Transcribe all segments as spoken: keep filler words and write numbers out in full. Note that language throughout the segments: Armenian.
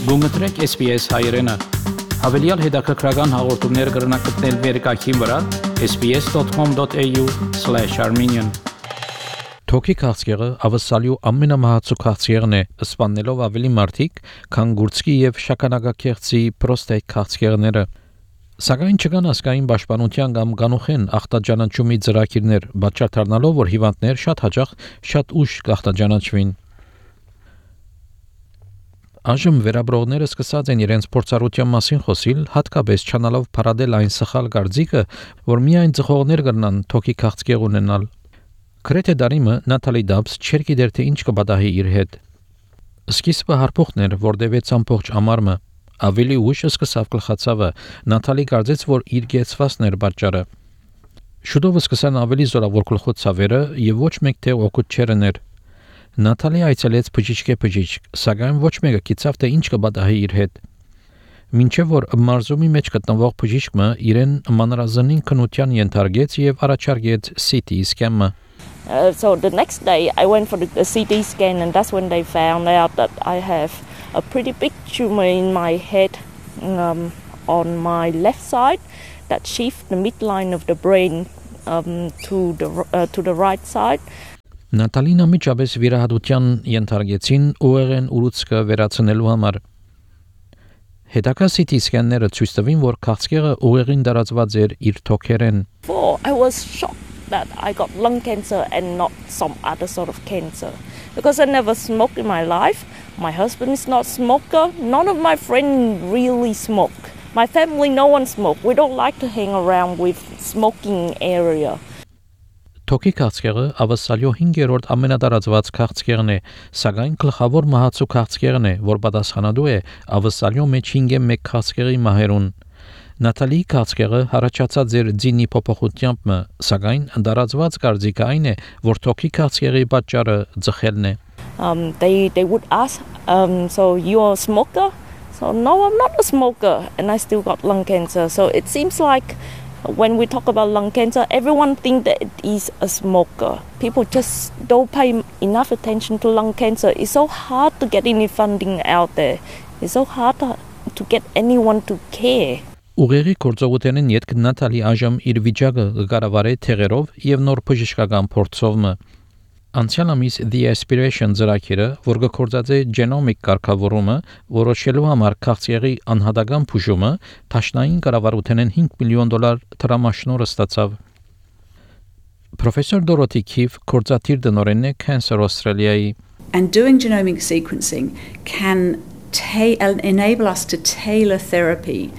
Գումտրեք S B S հայերեն։ Հավելյալ հետաքրքրական հաղորդումներ կգրնակցնել վերկայքին վրա s b s dot com dot a u slash armenian Թոքի քաղցկեղը ավսալյու ամենամահացու քաղցկեղն է, սպանելով ավելի մարդիկ, քան գուրցքի եւ շագանակակեղծի պրոստետ քաղցկեղները։ Սակայն չկան ասկային պաշտպանության կամ կանուխեն ախտաջանաչումի ծրագիրներ, բացառթարնալով, որ հիվանդներ շատ հաճախ շատ ուշ կախտաջանաչվին։ Այժմ վերաբրողները սկսած են իրենց փորձառության մասին խոսիլ, հատկապես չանալով փարադել այն սխալ կարծիքը, որ միայն ծխողներ կգնան թոքի քաղցկեղ ունենալ։ Գրեթե դարիմը Նատալի Դաբս չէր գիտեր թե ինչ կպատահի իր հետ։ Սկիզբը հարփոխն էր, որտեղից ամբողջ ամառը ավելի ուշ սկսավ գլխացավը, Նատալի կարծեց, որ իր գեցվածն էր պատճառը։ Շուտով սկսան ավելի զորավոր գլխոցավերը եւ ոչ մեկ թե օգուտ չերներ։ Նատալի այցելեց բժիշկե բժիշկ, սակայն ոչ մեկը գիտավ թե ինչ կպատահի իր հետ։ Մինչև որ մարզումի մեջ գտնվող բժիշկը իրեն մանրազնին քնության ենթարկեց եւ առաջարկեց C T scan-ը։ Uh, so the next day I went for the, the C T scan, and that's when they found out that I have a pretty big tumor in my head um, on my left side that shifts the midline of the brain um, to the uh, to the right side. Նատալին ամիջապես վիրահատության ենթարկեցին ուղեղեն ուռուցքը վերացնելու համար։ Հետագա C T scan-ները ցույց տվին, որ քաղցկեղը ուղեղին տարածված էր իր թոքերեն։ I was shocked that I got lung cancer and not some other sort of cancer, because I never smoked in my life. My husband is not a smoker. None of my friends really smoke. My family, no one smoke. We don't like to hang around with smoking area. Թոքի քաղցկեղը ավսալյո հինգերորդ ամենատարածված քաղցկեղն է, սակայն գլխավոր մահացու քաղցկեղն է, որ պատասխանատու է ավսալյո մեջ հինգ մեկ քաղցկեղի մահերուն։ Նատալի քաղցկեղը հարաճած էր ձինի փոփոխությամբ, սակայն տարածված կարծիքը այն է, որ թոքի քաղցկեղի պատճառը ձխելն է։ Um they they would ask um so you're a smoker? So no, I'm not a smoker, and I still got lung cancer. So it seems like when we talk about lung cancer, everyone thinks that it is a smoker. People just don't pay enough attention to lung cancer. It's so hard to get any funding out there. It's so hard to, to get anyone to care. Ուղեղի գործողութենեն յետք Նատալի այժմ իր վիճակը կառավարի թեղերով եւ նոր բժշկական փորձով։ Անցյալ ամիս The Aspiration ծրագիրը, որ գործածե գենոմիկ կարգավորումը, որոշելու համար քաղցկեղի անհատական բուժումը, տաշնային կառավարութենեն հինգ միլիոն դոլար տրամաշնորհ ստացավ։ Professor Dorothy Keefe գործադիր դնորենն է Cancer Australia-ի։ And doing genomic sequencing can ta- enable us to tailor therapy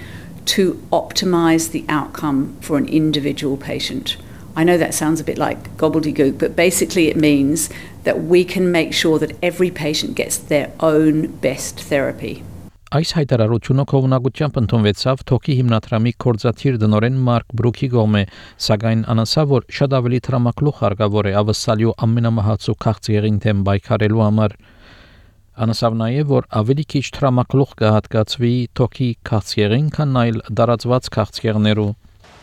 to optimize the outcome for an individual patient. I know that sounds a bit like gobbledygook, but basically it means that we can make sure that every patient gets their own best therapy. Այս հայտարարությունը կողմնակությամբ ընդունվեցավ Թոքի հիմնադրամի կորզաթիր դնորեն Մարկ Բրուքի կողմէ, սակայն անասավ, որ շատ ավելի տրամակլուխ հարկավոր է ավսալյու ամենամահացու քաղցկեղին դեմ պայքարելու համար։ Անասավ նաև, որ ավելի քիչ տրամակլուխ կհատկացվի Թոքի քաղցկեղին, քան այլ տարածված քաղցկեղներու։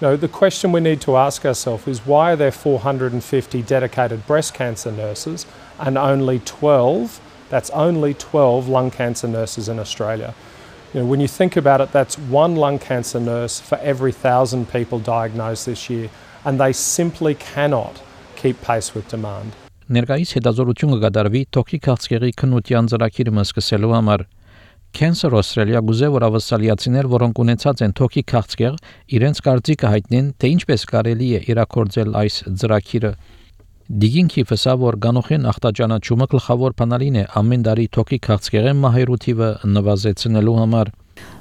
No, the question we need to ask ourselves is why are there four hundred fifty dedicated breast cancer nurses and only twelve, that's only twelve lung cancer nurses in Australia? You know, when you think about it, that's one lung cancer nurse for every thousand people diagnosed this year, and they simply cannot keep pace with demand. Ներկայիս հետազորություն կկատարվի Թոքի քաղցկեղի քննության ծրագիրը սկսելու համար։ Cancer Australia գուզե որ ավսալիացիներ, որոնք ունեցած են թոքի քաղցկեղ, իրենց կարծիքը հայտնեն, թե ինչպես կարելի է իրակորձել այս ծրագիրը։ Դիգինքի ֆսա որ գանոխեն ախտաջանաչումը գլխավոր բանալին է ամեն տարի թոքի քաղցկեղի մահերու թիվը նվազեցնելու համար։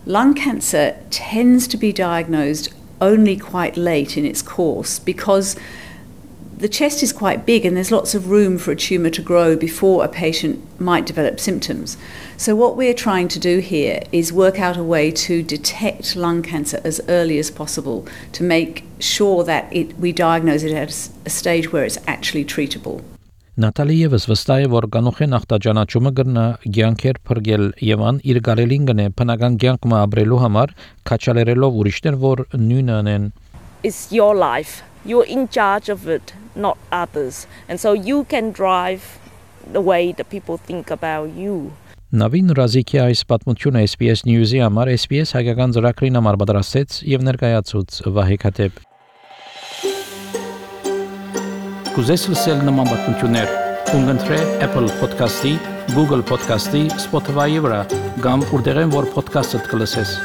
Lung cancer tends to be diagnosed only quite late in its course because the chest is quite big and there's lots of room for a tumour to grow before a patient might develop symptoms. So what we're trying to do here is work out a way to detect lung cancer as early as possible to make sure that it, we diagnose it at a stage where it's actually treatable. Նատալի եւս վստահ է, որ գանոխեն ախտաջանաչումը կգնա ցանկեր փրկել եւ ան իր գարելին գնե բնական ցանկը ապրելու համար, քաչալերելով ուրիշներ, որ նույնը անեն։ It's your life. You're in charge of it, not others. And so you can drive the way that people think about you. Նավին Ռազիկի այս պատմությունը S B S News-ի համար S B S հայկական ծրագրին համար պատրաստեց եւ ներկայացուց Վահե Քաթեփ։ Կուզես լսել նման պատմություններ, կընտրե Apple Podcast-ի, Google Podcast-ի, Spotify-ի վրա, կամ որտեղեն որ podcast-ը կլսես։